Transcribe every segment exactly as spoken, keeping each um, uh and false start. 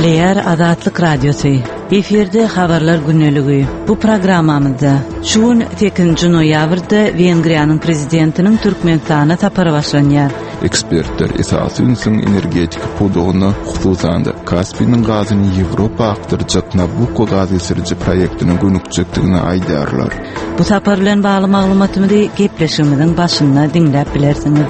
Gepleýär Azatlyk Radiosy. Efirde habarlar gündeligi. Bu programmamyzda şu gün sekizinji noýabrda Wengriýanyň prezidentiniň Türkmenistana sapary başlanýar. Ekspertler esasy ünsüň energetika pudagyna, hususan-da Kaspiniň gazyny Ýewropa akdyrjak Nabucco gaz geçiriji proýektine gönükjekdigini aýdýarlar. Bu sapar bilen bagly maglumatymyzy gepleşigimiziň başynda diňläp bilersiňiz.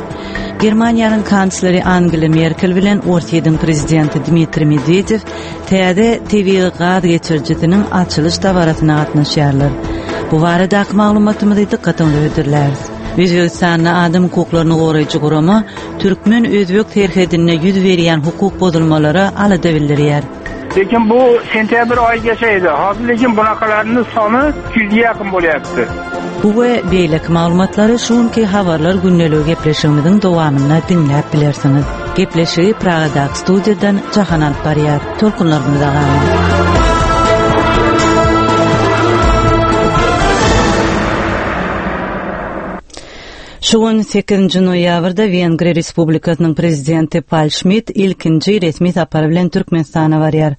Germaniýanyň kansleri Angela Merkel bilen Orsýetiň prezidenti Dmitriý Medwedew täze tebigy gaz geçirijisiniň açylyş dabarasyna gatnaşýarlar. Bu baradaky maglumatymyzy dykgatyňyza hödürläris. Özbegistanda adam hukuklaryny goraýjy gurama türkmen-özbek serhedinde ýüz berýän hukuk bozulmalara alada bildirýär. Lekin bu sentyabr oyigacha edi. Hozir lekin bunaqalarning soni ikki yuzga yaqin bo'lyapti. Bu we beýleki maglumatlary şu günki habarlar gündeligi gepleşigimiziň dowamynda diňläp bilersiňiz. Gepleşigi Pragadaky studiýadan Jahan alyp barýar. Tolkunlarymyza galyň. Şu gün sekizinji noýabrda Wengriýa Respublikasynyň prezidenti Pal Şmit ilkinji resmi sapary bilen Türkmenistana barýar.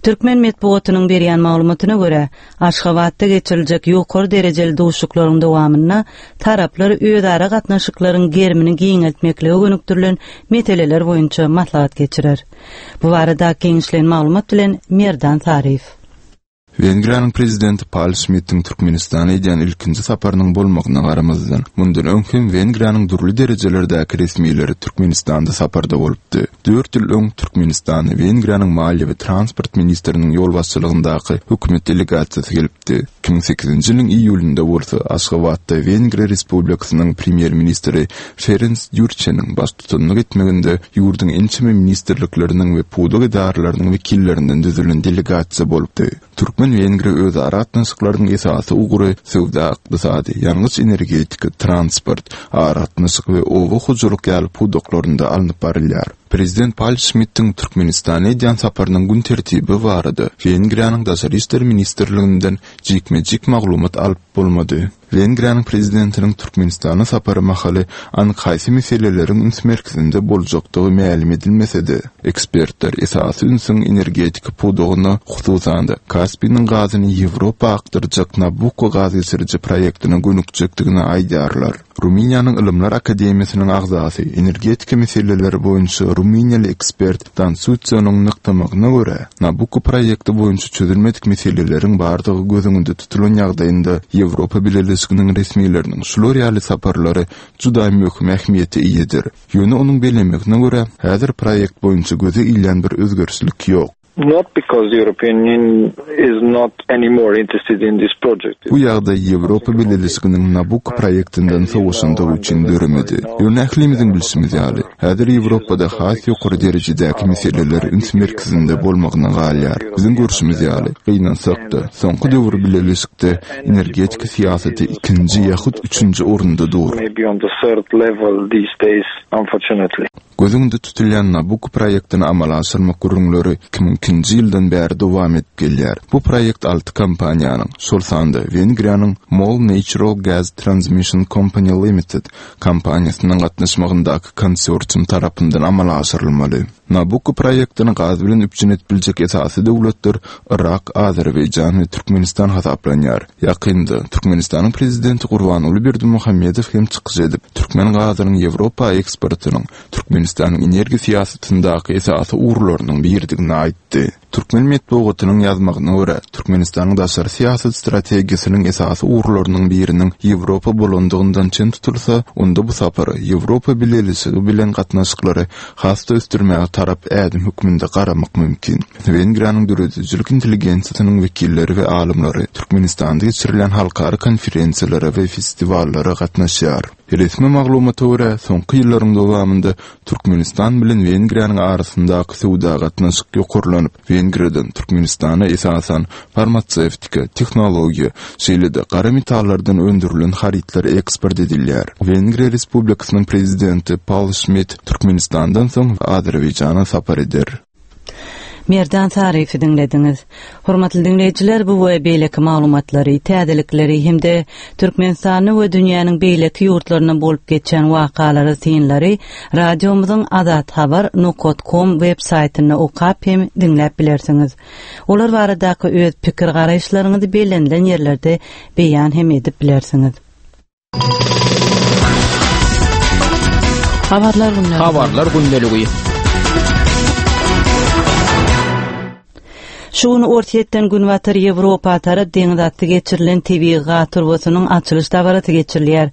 Türkmen metbugatynyň berýän maglumatyna görä, Aşgabatda geçiriljek ýokary derejeli duşuşyklaryň dowamynda taraplar özara gatnaşyklaryň gerimini giňeltmeklige gönükdirilen meseleler boýunça maslahat geçirer. Bu barada giňişleýin maglumat bilen Merdan Saryýew. Wengriýanyň prezidenti Pal Şmitiň Türkmenistana edýän ilkinji saparynyň bolmagyna garamazdan, mundan öň hem Wengriýanyň dürli derejelerdäki resmileri Türkmenistanda saparda bolupdy. Dört ýyl öň Türkmenistana Wengriýanyň maliýe we transport ministriniň ýolbaşçylygyndaky hökümet delegasiýasy gelipdi. Iki müň sekizinji ýylyň iýulynda bolsa Aşgabatda Wengriýa Respublikasynyň premýer-ministri Ferenc Dýurçeniň baştutanlyk etmeginde ýurduň ençeme ministrlikleriniň we pudak edaralarynyň wekillerinden düzülen delegasiýa bolupdy. Türkmen-Wengriýa özara gatnaşyklarynyň esasy ugry söwda-ykdysady, ýangyç-energetika, transport, aragatnaşyk we oba hojalyk ýaly pudaklarynda alnyp barylýar. Prezident Pal Şmitiň Türkmenistana edýän saparynyň gün tertibi barada Wengriýanyň Daşary işler ministrliginden jikme-jik maglumat alyp bolmady. Wengriýanyň prezidentiniň Türkmenistana sapary mahaly anyk haýsy meseleleriň üns merkezinde boljakdygy mälim edilmese-de, ekspertler esasy ünsüň energetika pudagyna, hususan-da Kaspiniň gazyny Ýewropa akdyrjak Nabucco gaz geçiriji proýektine gönükjekdigini aýdýarlar. Rumyniýanyň Ylymlar Akademiýasynyň agzasy, energetika meseleleri boýunça rumyniýaly ekspert Dan Sutsionyň nygtamagyna görä, Nabucco proýekti boýunça çözülmedik meseleleriň bardygy göz öňünde tutulan ýagdaýynda Ýewropa Bileleşiginiň resmileriniň şular ýaly saparlary juda möhüm ähmiýete eýedir. Ýöne onuň bellemegine görä, häzir proýekt boýunça göze ilýän bir özgerişlik ýok. Not because the European Union is not anymore interested in this project. Bu ýagdaý Ýewropa Bileleşiginiň Nabucco proýektinden sowaşandygy üçin döremedi. Ýöne ählimiziň bilşimiz ýaly, häzir Ýewropada has ýokary derejedäki meseleler üns merkezinde bolmagyna galýar. Biziň görşümiz ýaly, gynansak-da, soňky döwür bileleşikde energetika syýasaty ikinji ýa-hut üçünji orunda dur. Maybe on the third level these days, unfortunately. Göz öňünde tutulýan Nabucco proýektini amala aşyrmak gürrüňleri iki müň ikinji ýyldan bäri dowam edip gelýär. Bu proýekt alty kompaniýanyň, şol sanda Wengriýanyň MOL Natural Gas Transmission Company Limited kompaniýasynyň gatnaşmagyndaky konsorsium tarapyndan amala aşyrylmaly. Nabucco proýektini gaz bilen üpjün edip biljek esasy döwletler Yrak, Azerbaýjan we Türkmenistan hasaplanýar. Ýakynda Türkmenistanyň prezidenti Gurbanguly Berdimuhamedow hem çykyş edip, türkmen gazynyň Ýewropa eksportynyň Türkmenistanyň energiýa syýasatyndaky esasy ugurlarynyň biridigini aýtdy. Türkmen metbugatynyň ýazmagyna görä, Türkmenistanyň daşary syýasat strategiýasynyň esasy ugurlarynyň biriniň Ýewropa bolandygyndan çen tutulsa, onda bu sapara Ýewropa Bileleşigi bilen gatnaşyklary has-da ösdürmäge tarap ädim hökmünde garamak mümkin. Wengriýanyň döredijilik intelligensiýasynyň wekilleri we alymlary Türkmenistanda geçirilýän halkara konferensiýalara we festiwallara gatnaşýar. Resmi maglumata görä, soňky ýyllaryň dowamynda Türkmenistan bilen Wengriýanyň arasyndaky söwda gatnaşyk ýokarlanyp, Wengriýadan Türkmenistana esasan farmasewtika, tehnologiýa, şeýle-de gara metallardan öndürilen harytlar eksport edilýär. Wengriýa Respublikasynyň prezidenti Pal Şmit Türkmenistandan soň Azerbaýjana sapar eder. Merdan Saryýewi diňlediňiz. Hormatly diňleýjiler, bu we beýleki maglumatlary, täzelikleri hem-de Türkmenistanda we dünýäniň beýleki ýurtlarynda bolup geçen wakalary, synlary radiomyzyň azathabar nokta com web saýtynda okap hem diňläp bilersiňiz. Olar baradaky öz pikir garaýyşlaryňyzy bellenilen ýerlerde beýan hem edip bilersiňiz. Habarlar gündeligi. Habarlar gündeligi. Şu gün Orsýetden Günbatar Ýewropa tarap deňiz asty geçirilen tebigy gaz turbasynyň açylyş dabarasy geçirilýär.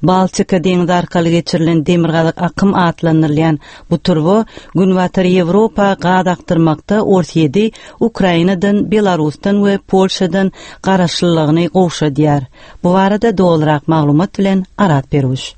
Baltika deňizi arkaly geçirilen Demirgazyk akym atlandyrylýan bu turba Günbatar Ýewropa gaz akdyrmakda Orsýeti Ukrainadan, Belarusdan we Polşadan garaşlylygyny gowşadýar. Bu barada dolurak maglumat bilen Arat Peruş.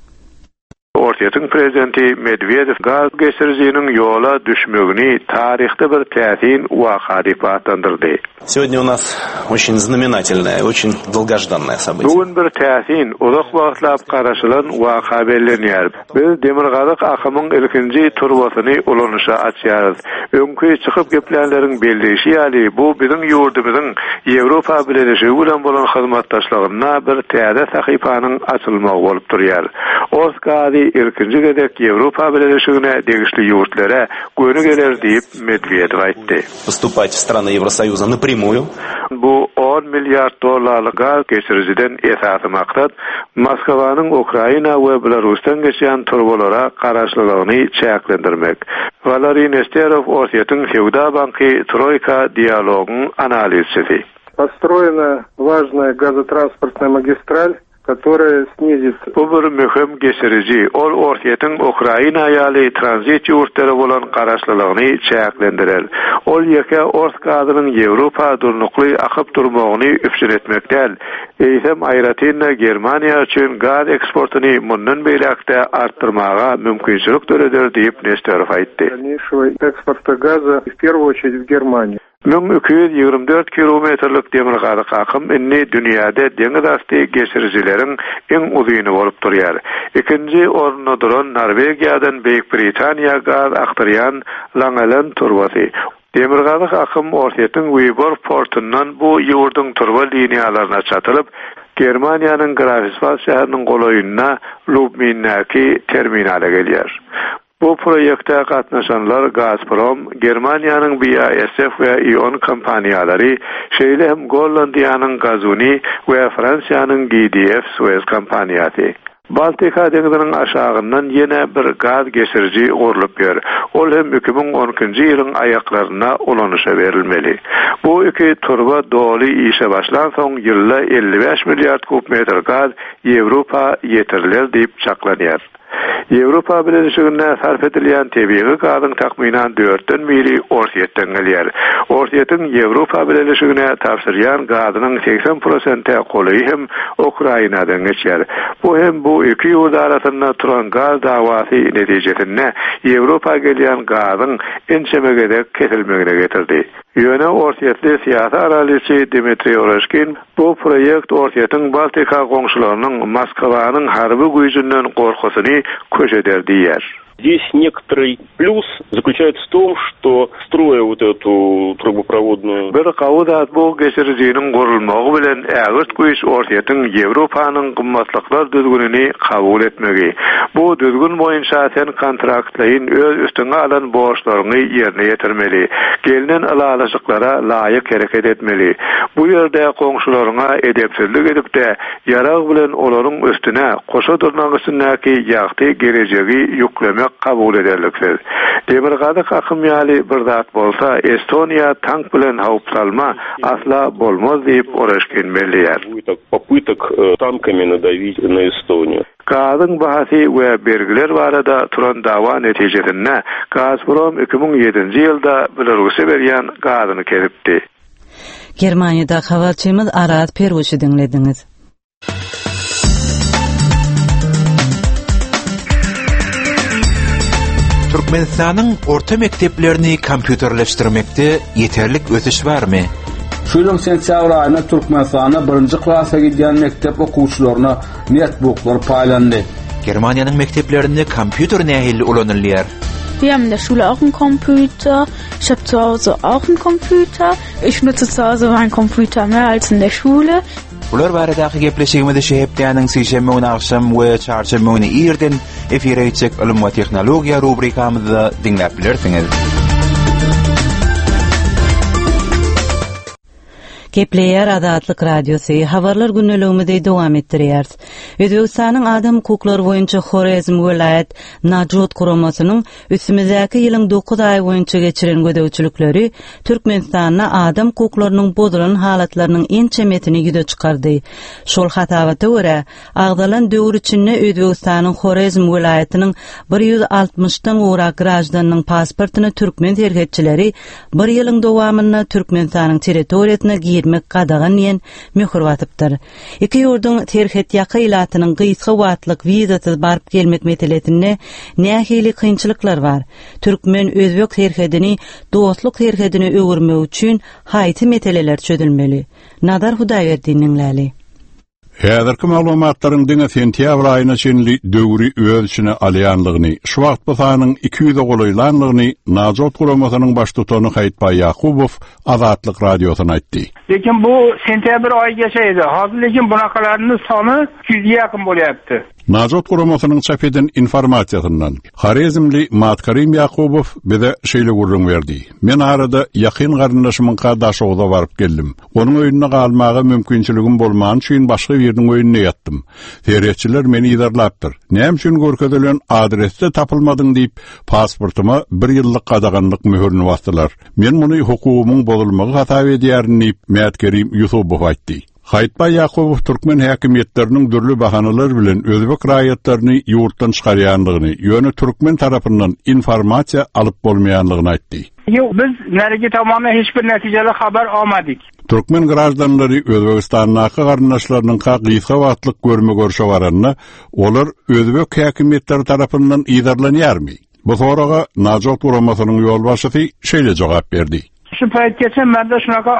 Orsýetiň prezidenti Medwedew gaz geçirijiniň ýola düşmegini taryhda bir täsin waka diýip atlandyrdy. Сегодня у нас очень знаменательное, очень долгожданное событие. Bu gün bir täsin, uzak wagtlap garaşylan waka bellenýär. Biz Demirgazyk akymyň ilkinji turbasyny ulanyşa açýarys. Öňki çykyp geplänleriň belleýşi ýaly, bu biziň ýurdumyzyň Ýewropa Bileleşigi bilen bolan hyzmatdaşlygynda bir täze sahypanyň açylmagy bolup durýar. Ors gazy ilkinji gezek Ýewropa Bileleşigine degişli ýurtlara göni geler diýip Medwedew aýtdy. Поступать в страны Евросоюза напрямую. Bu on milliard dollarlyk gaz geçirijiden esasy maksat Moskwanyň Ukraina we Belarusdan geçýän turbalara garaşlylygyny çäklendirmek. Valeriy Nesterov Orsýetiň Söwda banky Troika dialogyň analizçisi. Построена важная газотранспортная магистраль, которая снизит... Bu bir möhüm geçiriji, ol Orsýetiň Ukraina ýaly tranzit ýurtlary bolan garaşlylygyny çäklendirer. Ol ýeke ors gazynyň Ýewropa durnukly akyp durmagyny üpjün etmek däl. Eýsem aýratyn Germaniýa üçin gaz eksportyny mundan beýläkde artdyrmaga mümkinçilik döreder diýip Nesterov aýtdy. Дальнейшего экспорта газа в первую очередь в Германию. Müň iki ýüz ýigrimi dört kilometrlik Demirgazyk akym indi dünýäde deňiz asty geçirijileriň iň uzyny bolup durýar. Ikinji orunda duran Norwegiýadan Beýik Britaniýa gaz akdyrýan Langelen turbasy. Demirgazyk akym Orsýetiň Wyborg portundan bu ýurduň turba liniýalaryna çatylyp, Germaniýanyň Greifswald şäheriniň golaýynda Lubmindäki terminala gelýär. Bu proýekte gatnaşanlar Gazprom, Germaniýanyň B A S F we E.ON kompaniýalary, şeýle hem Gollandiýanyň Gazuni we Fransiýanyň G D F Suez kompaniýasy. Baltika deňziniň aşagyndan ýene bir gaz geçiriji gurlup ýör. Ol hem iki müň on ikinji ýylyň aýaklaryna ulanyşa berilmeli. Bu iki turba doly işe başlan soň ýylda elli bäş milliard kub metr gaz Ýewropa ýetiriler diýip çaklanýar. Ýewropa Bileleşiginde sarf edilýän tebigy gazyň takmynan dörtden biri Orsýetden gelýär. Orsýetiň Ýewropa Bileleşigine tabşyrýan gazynyň seksen prosente golaýy hem Ukrainadan geçýär. Bu hem bu iki ýurt arasynda turan gaz dawasy netijesinde Ýewropa gelýän gazyň ençeme gezek kesilmegine getirdi. Ýöne Orsýetli syýasy analizçi Dmitriý Oreshkin bu proýekt Orsýetiň Baltika goňşularynyň Moskwanyň harby güýjünden gorkusyny köşeder diýär. Здесь некоторый плюс заключается в том, что строя вот эту трубопроводную... Bir gawudat bu geçirijiniň gurulmagy bilen ägirt güýç Orsýetiň Ýewropanyň gymmatlyklar düzgünini kabul etmegi. Bu düzgün boýunça sen kontraktlaýyn öz üstüňe alan borçlaryňy ýerine ýetirmeli. Gelinen ylalaşyklara laýyk hereket etmeli. Bu ýerde goňşularyňa edepsizlik edip-de ýarag bilen olaryň üstüne goşa durnaň üstündäki ýagty gelejegi ýüklemek kabul ederliksiz. Demirgazyk akym ýaly bir zat bolsa, Estoniýa tank bilen howp salma asla bolmaz diýip Oreshkin belleýär. Попыток, э, танками надавить на Эстонию. Gazyň bahasy we bergiler barada turan dawa netijesinde Gazprom iki müň ýedinji ýylda Belarus'a berýän gazyny kesipdi. Germaniýada habarçymyz Arat Peruşy diňlediňiz. Türkmenistanyň orta mekdeplerini kompýuterleşdirmekde ýeterlik ösüş barmy? Şu ýylyň sentýabr aýynda Türkmenistanda birinji klasa gidýän mekdep okuwçylaryna netbooklar paýlandy. Germaniýanyň mekdeplerinde kompýuter nähili ulanylýar? Wir haben in der Schule auch einen Computer. Ich habe zu Hause auch einen Computer. Ich nutze zu Hause meinen Computer mehr als in der Schule. Bular baradaky gepleşigimizi şu hepdäniň sişenbe güni agşam we çarşenbe güni irden efire geçjek ylym we tehnologiýa rubrikamyzda diňläp bilersiňiz. Gepleýär Azatlyk Radiosy habarlar günlügimizi dowam etdirýär. Özbegistanyň adam hukuklary boýunça Horezm welaýat Najot guramasynyň üstümizdäki ýylyň dokuz aý boýunça geçiren gözegçilikleri Türkmenistanda adam hukuklarynyň bozulan halatlarynyň ençemesini ýüze çykardy. Şol hasabata görä, agzalan döwür içinde Özbegistanyň Horezm welaýatynyň bir ýüz altmyşdan gowrak graždanynyň pasportyny türkmen serhetçileri bir ýylyň dowamynda Türkmenistanyň territoriýasyna girmek gadagan diýen möhür basypdyr. Iki ýurduň serhet ýaka ilatynyň gysga wagtlyk wizasyz baryp gelmek meselesinde nähili kynçylyklar bar? Türkmen özbek serhedini dostluk serhedine öwürmek üçin haýsy meseleler çözülmeli? Nazar Hudaýberdiniň läli. Häzirki maglumatlaryň diňe sentýabr aýyna çenli döwri öz içine alýanlygyny, şu wagt bu sanyň iki ýüze golaýlanlygyny Najot guramasynyň baştutany Haýytbaý Ýakubow Azatlyk radiosyna aýtdy. Lekin bu sentyabr oyigacha edi. Hozir lekin bunaqalarning soni ikki yuzga yaqin bo'lyapti. Najot guramasynyň çap eden informasiýasyndan Horezmli Matkarim Ýakubow bize şeýle gürrüň berdi. Men arada ýakyn garyndaşymyňka Daşoguz'a baryp geldim. Onuň öýünde galmaga mümkinçiligim bolmany üçin başga biriniň öýünde ýatdym. Serhetçiler meni yzarlapdyr. Näme üçin görkezilen adresde tapylmadyň diýip pasportyma bir ýyllyk gadaganlyk möhürini basdylar. Men muny hukugymyň bozulmagy hasap edýärin diýip Matkarim Ýusubow aýtdy. Haýytbaý Ýakubow türkmen häkimiýetleriniň dürli bahanalar bilen özbek raýatlaryny ýurtdan çykarýanlygyny, ýöne türkmen tarapyndan informasiýa alyp bolmaýanlygyny aýtdy. Yo'q, biz narigi tomondan hech bir natijali xabar olmadik. Türkmen graždanlary Özbegistandaky garyndaşlarynyň gysga wagtlyk görme görşe baranda, olar özbek häkimiýetleri tarapyndan yzarlanýarmy? Bu soraga Najot guramasynyň ýolbaşçysy şeýle jogap berdi. Shu paytgacha menda shunaqa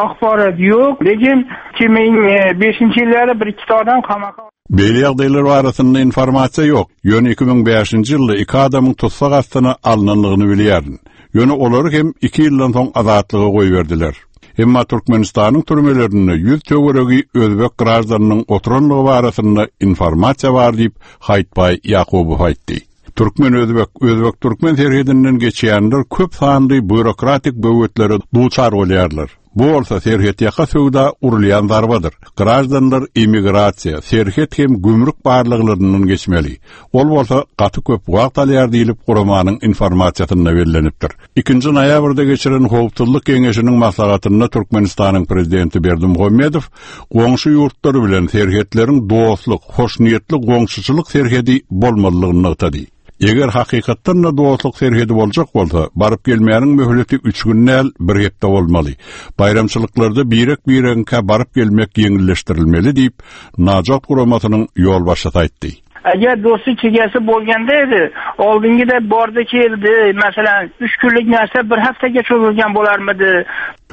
axborot yo'q, lekin ikki ming beshinchi yillari bir ikkita odam qamoqqa Beýle ýagdaýlar arasynda informasiýa ýok. Ýöne iki müň bäşinji ýylda iki adamyň tutsak astyna alynanlygyny bilýärin. Ýöne olary hem iki ýyldan soň azatlyga goýberdiler. Emma Türkmenistanyň türmelerinde ýüz töweregi özbek graždanynyň oturanlygy barasynda informasiýa bar diýip Haýytbaý Ýakubow aýtdy. Türkmen özbek, özbek türkmen serhedinden geçýänler köp sanly býurokratik böwetlere duçar bolýarlar. Bu bolsa serhet ýaka söwda urulýan zarbadyr. Grajdanlar immigrasiýa, serhet hem gümrük barlyklaryndan geçmeli. Ol bolsa gaty köp wagt alýar diýilip guramanyň informasiýasynda bellenipdir. Ikinji noýabrda geçiren Howpsuzlyk Geňeşiniň maslahatynda Türkmenistanyň prezidenti Berdimuhamedow goňşy ýurtlar bilen serhetleriň dostluk, hoşniýetli goňşuçylyk serhedi bolmalydygyny nygtady. Eger hakykatdan da dostluk serhedi boljak bolsa, baryp gelmäniň möhleti üç gün däl, bir hepde bolmaly. Baýramçylyklarda birek-bireňkä baryp gelmek ýeňilleşdirilmeli diýip, Najot guramasynyň ýolbaşçysy aýtdy. Agar do'stlik chegasi bo'lganda edi, oldingida bordi keldi, masalan, uch kunlik narsa bir haftaga cho'zilgan bo'larmidi?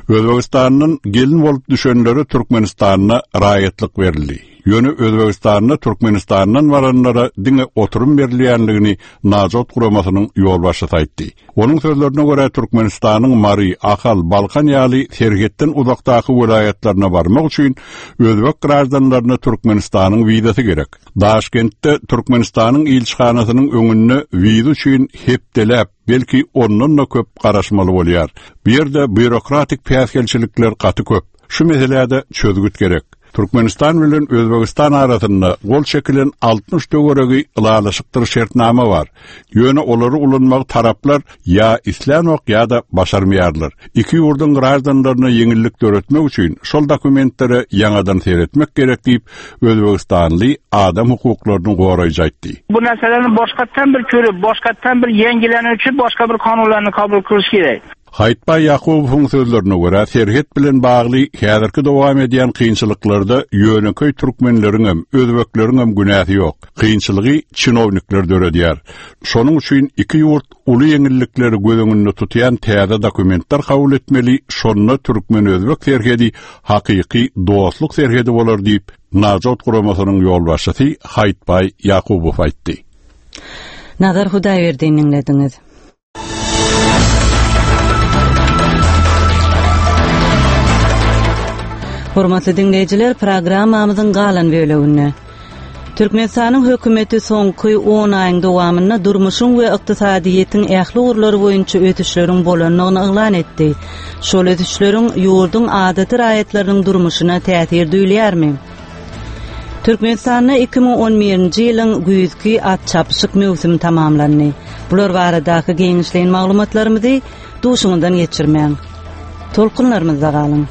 Özbegistandan gelin bolup düşenlere Türkmenistana raýatlyk berildi. Ýöne Özbegistanda Türkmenistandan baranlara diňe oturum berilýänligini Najot guramasynyň ýolbaşçysy aýtdy. Onuň sözlerine görä Türkmenistanyň Mary, Ahal, Balkan ýaly serhetden uzakdaky welaýatlaryna barmak üçin özbek graždanlaryna Türkmenistanyň wizasy gerek. Daşkentde Türkmenistanyň ilçihanasynyň öňünde wiza üçin hepdeläp, belki ondan da köp garaşmaly bolýar. Bu ýerde býurokratik päsgelçilikler gaty köp. Şu meselede çözgüt gerek. Türkmenistan bilen Özbegistan arasynda gol çekilen altmyş töweregi ylalaşykdyr şertnama bar. Ýöne olary ulanmak taraplar ýa islänok ýa-da başarmaýarlar. Iki ýurduň graždanlaryna ýeňillik döretmek üçin şol dokumentlere ýaňadan seretmek gerek diýip Özbegistanly adam hukuklaryny goraýjy aýtdy. Bu narsalarni boshqatdan bir ko'rib, boshqatdan bir yangilanuvchi boshqa bir qonunlarni qabul qilish kerak. Haýytbaý Ýakubowyň sözlerine görä, serhet bilen bagly häzirki dowam edýän kynçylyklarda ýöneköý türkmenleriň hem, özbekleriň hem günäsi ýok. Kynçylygy çinownikler döredýär. Şonuň üçin iki ýurt uly ýeňillikleri göz öňünde tutýan täze dokumentler kabul etmeli, şonda türkmen-özbek serhedi hakyky dostluk serhedi bolar diýip Najot guramasynyň ýolbaşçysy Haýytbaý Ýakubow aýtdy. Nazar Hudaýberdiniň dinlediňiz. Hormatly dinleýjiler, programmamyzyň galan böleginde Türkmenistanyň hökümeti soňky on aýyň dowamynda durmuşyň we ykdysadyýetiň ähli ugurlary boýunça ösüşleriň bolandygyny yglan etdi. Şol ösüşleriň ýurduň adaty raýatlarynyň durmuşyna täsir duýulýarmy? Türkmenistanda iki müň on birinji ýylyň güýzki at çapyşyk möwsümi tamamlandy. Bular baradaky giňişleýin maglumatlarymyzy duşuňyzdan geçirmäň. Tolkunlarymyzda galyň.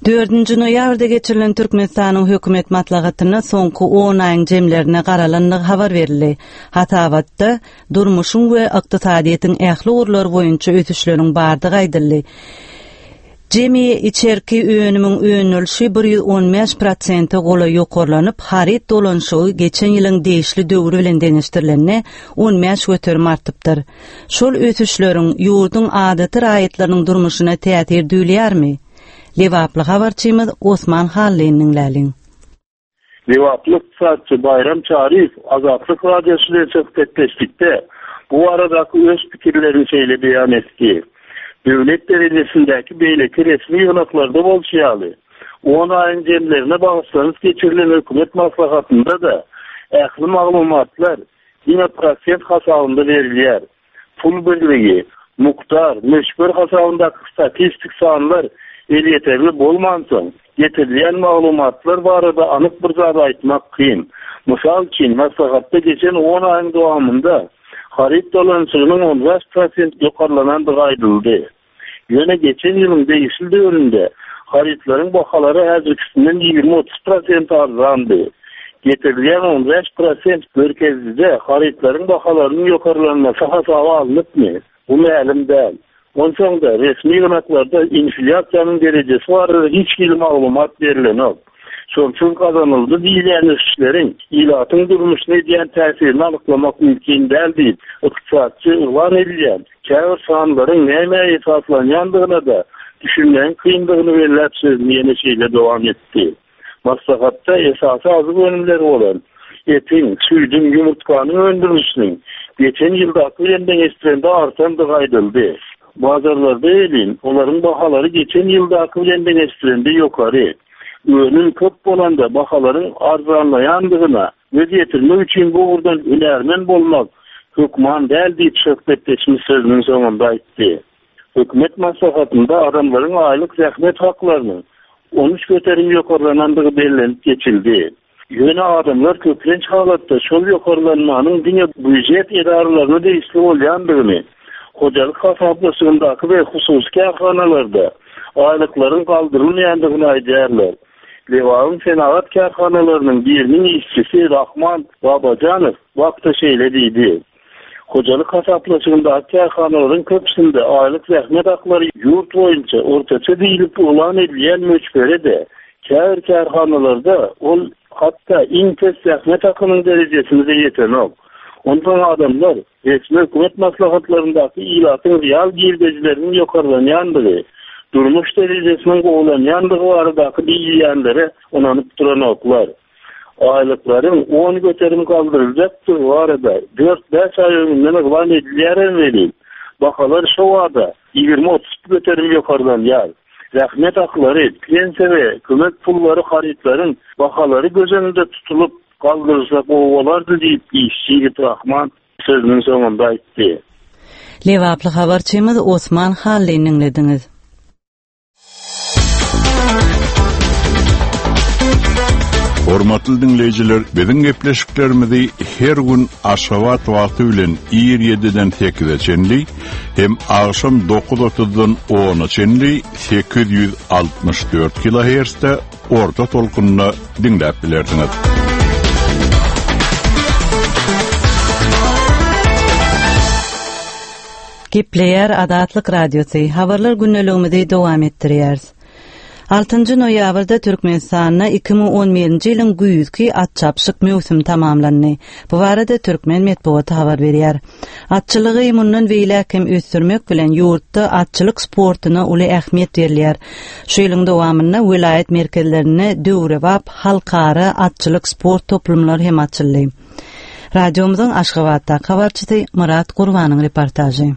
Dördünji noýabrda geçirilen Türkmenistanyň hökümet maslahatynda soňky on aýyň jemlerine garalandygy habar berildi. Hasabatda durmuşyň we ykdysadyýetiň ähli ugurlary boýunça ösüşleriň bardygy aýdyldy. Jemi içerki önümiň öndürilişi bir ýüz on bäş prosente golaý ýokarlanyp, haryt dolanyşygy geçen ýylyň degişli döwri bilen deňeşdirilende on bäş göterim artypdyr. Şol ösüşleriň ýurduň adaty raýatlarynyň durmuşyna täsir duýulýarmy? Lebaply habarçymyz Osman Hallyny diňläliň. Lebaply ykdysatçy Baýram Çaryýew Azatlyk Radiosy bilen söhbetdeşlikde bu baradaky öz pikirlerini şeýle beýan etdi. Döwlet derejesindäki beýleki resmi ýygnaklarda bolşy ýaly, on aýyň jemlerine bagyşlanyp geçirilen hökümet maslahatynda-da ähli maglumatlar diňe prosent hasabynda berilýär. Pul birligi, mukdar, möçber hasabyndaky statistik sanlar elýeterli bolmansoň, getirilýän maglumatlar barada anyk bir zat aýtmak kyn. Mysal üçin, maslahatda geçen on aýyň dowamynda haryt dolanyşygynyň on bäş prosent ýokarlanandygy aýdyldy. Ýöne geçen ýylyň degişli döwründe harytlaryň bahalary häzirkisinden ýigrimi otuz prosent arzandy. Getirilýän on bäş prosent görkezijide harytlaryň bahalarynyň ýokarlanmasy hasaba alnypmy? Bu mälim däl. Onsoň-da resmi ýygnaklarda inflýasiýanyň derejesi barada hiç hili maglumat berilenok. Şonsuz gazanyldy diýilýän ösüşleriň ilatyň durmuşyna edýän täsirini anyklamak mümkin däl diýip, ykdysatçy yglan edilýän käbir sanlaryň näme esaslanýandygyna-da düşünmegiň kyndygyny belläp sözüni ýene şeýle dowam etdi. Maslahatda esasy azyk önümleri bolan etiň, süýdüň, ýumurtganyň öndürilişiniň geçen ýyldaky bilen deňeşdirilende artandygy aýdyldy. Bazarlarda elin, olaryň bahalary geçen ýyldaky bilen deňeşdirilende ýokary. Önüm köp bolanda bahalaryň arzanlaýandygyna göz ýetirmek üçin bu ugurdan hünärmen bolmak hökman däl diýip söhbetdeşimiz sözüniň soňunda aýtdy. Hökümet maslahatynda adamlaryň aýlyk zähmet haklarynyň on üç göterim ýokarlanandygy bellenip geçildi. Ýöne adamlar köplenç halatda şol ýokarlanmanyň diňe býujet edaralaryna degişli bolýandygyny, hojalyk hasaplaşygyndaky we hususy kärhanalarda aýlyklaryň galdyrylmaýandygyny aýdýarlar. Lebabyň senagat kärhanalarynyň biriniň işçisi Rahman Babajanow wagtda şeýle diýdi. Hojalyk hasaplaşygyndaky kärhanalaryň köpüsinde aýlyk zähmet haklary ýurt boýunça ortaça diýilip yglan edilýän möçberi-de käbir kärhanalarda ol hatda iň pes zähmet hakynyň derejesine de ýetenok. Onsoň adamlar resmi hökümet maslahatlaryndaky ilatyň real girdejileriniň ýokarlanýandygy, durmuş derejesiniň gowulanýandygy baradaky diýilýänlere ynanyp duranoklar. Aýlyklaryň on göterim galdyryljakdygy barada dört bäş aý öňünden yglan edilýär welin, bahalar şo wada ýigrimi otuz göterim ýokarlanýar. Zähmet haklary, pensiýa we kömek pullary harytlaryň bahalary göz öňünde tutulyp galdyrylsa gowy bolardy diýip işçi ýigit Rahman sözüniň soňunda aýtdy. Lebaply habarçymyz Osman Hallyny diňlediňiz. Hormatly dinleýjiler, biziň gepleşiklerimizi her gün Aşgabat wagty bilen ir ýediden sekize çenli hem agşam dokuz otuzdan ona çenli sekiz ýüz altmyş dört kilohertzde orta tolkunda dinläp bilersiňiz. Gepleýär Azatlyk Radiosy. Habarlar gündeligimizi dowam etdirýäris. Altynjy noýabrda Türkmenistanda iki müň on birinji ýylyň güýzki at çapyşyk möwsümi tamamlandy. Bu barada Türkmen metbugaty habar berýär. Atçylygy mundan beýläk hem ösdürmek bilen ýurtda atçylyk sportuna uly ähmiýet berilýär. Şu ýylyň dowamynda welaýat merkezlerinde döwrebap halkara atçylyk sport toplumlary hem açyldy. Radiomyzyň Aşgabatdaky habarçysy Murat Gurbanyň reportažy.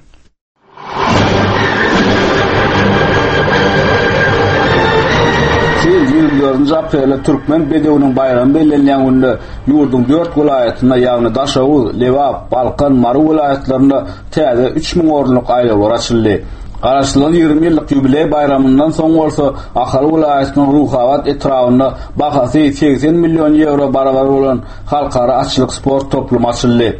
Şu ýyl ýigrimi dördünji aprelde Türkmen bedewiniň baýramy bellenilýän günde ýurduň dört welaýatynda, ýagny Daşoguz, Lebap, Balkan, Mary welaýatlarynda täze üç müň orunlyk aýlawlar açyldy. Garaşsyzlygyň ýigrimi ýyllyk ýubileý baýramyndan soň bolsa Ahal welaýatynyň Ruhabat etrabynda bahasy segsen million ýewro barabar bolan halkara atçylyk sport toplumy açyldy.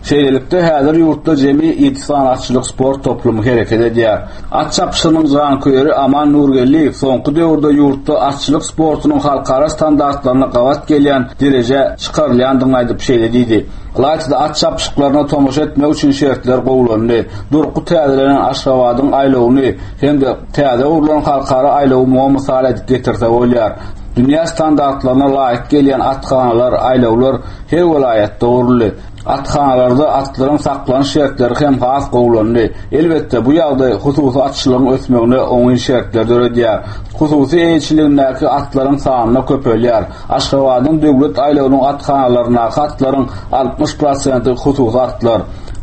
Şeýlelikde, häzir ýurtda jemi ýedi sany atçylyk sport toplumy hereket edýär. At çapyşygynyň janköýeri Aman Nurgeldiýew soňky döwürde ýurtda atçylyk sportunyň halkara standartlaryna gabat gelýän derejä çykarylýandygyny aýdyp şeýle diýdi, Ylaýta-da at çapyşyklaryna tomaşa etmek üçin şertler gowulandy. Durky täzelenen Aşgabadyň aýlawyny hem-de täze gurlan halkara aýlawy muňa mysal edip getirse bolýar. Dünýä standartlaryna laýyk gelýän athanalar, aýlawlar her welaýatda guruldy. Athanalarda atlaryň saklanyş şertleri hem has gowulandy. Elbetde, bu ýagdaý hususy atçylygyň ösmegine oňyn şertler döredýär. Hususy eýeçiligindäki atlaryň sany köpelýär. Aşgabadyň döwlet aýlawynyň athanalaryndaky atlaryň altmyş prosenti hususy atlar.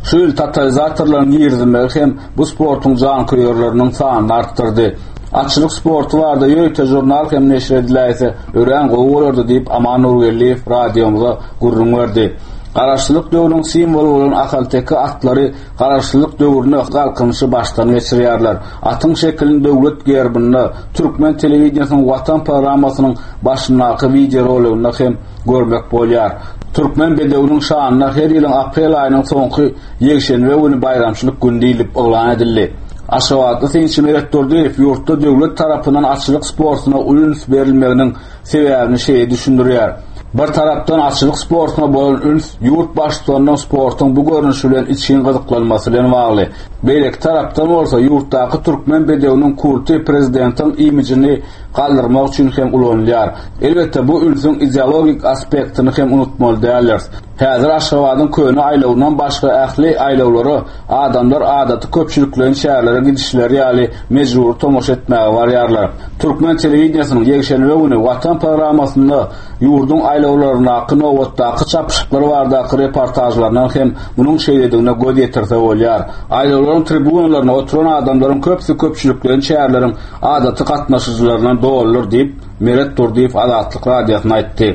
Şu ýyl totalizatorlaryň girizilmegi hem bu sportuň janköýerleriniň sanyny artdyrdy. Atçylyk sporty barada ýörite žurnal hem neşir ediläýse örän gowy bolardy diýip, Aman Nurgeldiýew radiomyza gürrüň berdi. Garaşsyzlyk döwrüniň simwoly bolan ahalteke atlary garaşsyzlyk döwründe galkynyşy başdan geçirýärler. Atyň şekilini döwlet gerbinde, türkmen telewideniýesiniň Watan programmasynyň başyndaky wideoroliginde hem görmek bolýar. Türkmen bedewiniň şanyna her ýylyň aprel aýynyň soňky ýekşenbe güni baýramçylyk güni diýlip yglan edildi. Aşgabatly synçy Meret Durdyýew ýurtda döwlet tarapyndan atçylyk sportuna uly üns berilmeginiň sebäbini şeýle düşündirýär. Bir tarapdan atçylyk sportuna bolan üns ýurt baştutanynyň sportuň bu görnüşi bilen içgin gyzyklanmasy bilen bagly. Beýleki tarapdan bolsa ýurtdaky türkmen bedewiniň kulty prezidentiň imijini galdyrmak üçin hem ulanylýar. Elbetde bu ünsüň ideologik aspektini hem unutmaly däldiris. Häzir Aşgabadyň köne aýlawyndan başga ähli aýlawlara adamlar adaty köpçülikleýin şäherlere gidişleri ýaly mejbury tomaşa etmäge barýarlar. Türkmen telewideniýesiniň ýekşenbe güni Watan programmasynda ýurduň aýlawlaryndaky nobatdaky çapyşyklar baradaky reportažlaryndan hem munuň şeýledigine göz ýetirse bolýar. Aýlawlaryň tribunalarynda oturan adamlaryň köpüsi köpçülikleýin şäherleriň adaty gatnaşyjylaryndan doludyr diýip, Meret Durdyýew Azatlyk Radiosyna aýtdy.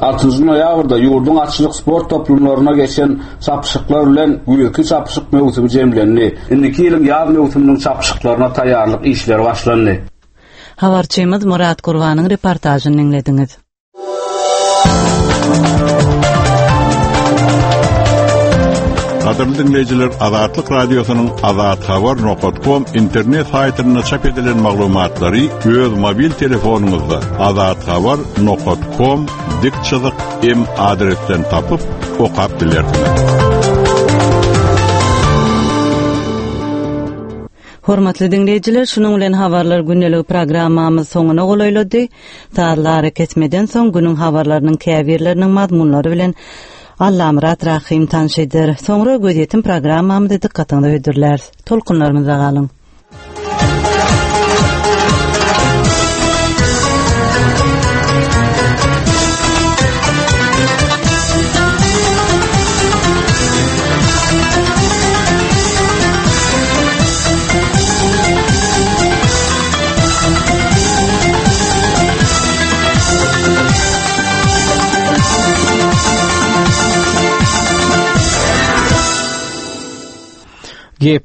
Altynjy noýabrda ýurduň atçylyk sport toplumlaryna geçen çapyşyklar bilen güýzki çapyşyk möwsümi jemlendi. Indiki ýylyň ýaz möwsüminiň çapyşyklaryna taýýarlyk işleri başlandy. Habarçymyz Murat Gurbanyň reportažyny diňlediňiz. Gadyrly dinleýjiler, Azatlyk Radiosynyň azathabar nokta com internet saýtynda çap edilen maglumatlary öz mobil telefonyňyzda azathabar nokta com dik çyzyk m adresden tapyp okap bilersiňiz. Hormatly dinleýjiler, şunuň bilen habarlar gündelik programmamyz soňuna golaýlady. Sazlary kesmeden soň günüň habarlarynyň käbirleriniň mazmunlary bilen Allamyrat Rahim tanış eder. Soňra gözýetim programmamyzy dykgatyňyza hödürläris. Tolkunlarymyzda galyň. Gep